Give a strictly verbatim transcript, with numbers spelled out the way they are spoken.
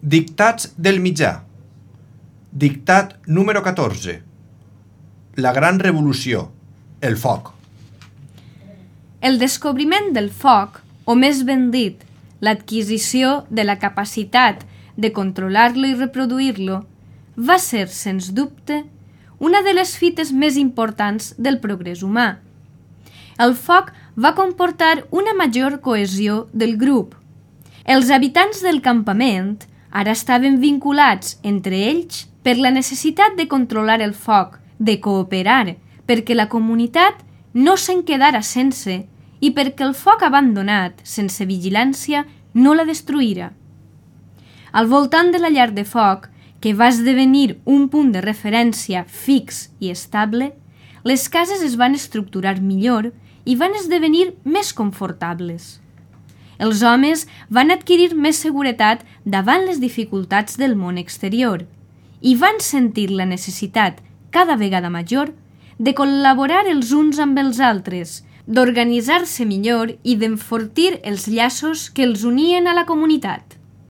Dictats del mitjà. Dictat número catorze. La gran revolució, el foc. El descobriment del foc, o més ben dit, l'adquisició de la capacitat de controlar-lo i reproduir-lo, va ser, sens dubte, una de les fites més importants del progrés humà. El foc va comportar una major cohesió del grup. Els habitants del campament ara estaven vinculats entre ells per la necessitat de controlar el foc, de cooperar, perquè la comunitat no se'n quedara sense i perquè el foc abandonat, sense vigilància, no la destruïra. Al voltant de la llar de foc, que va esdevenir un punt de referència fix i estable, les cases es van estructurar millor i van esdevenir més confortables. Els homes van adquirir més seguretat davant les dificultats del món exterior i van sentir la necessitat, cada vegada major, de col·laborar els uns amb els altres, d'organitzar-se millor i d'enfortir els llaços que els unien a la comunitat.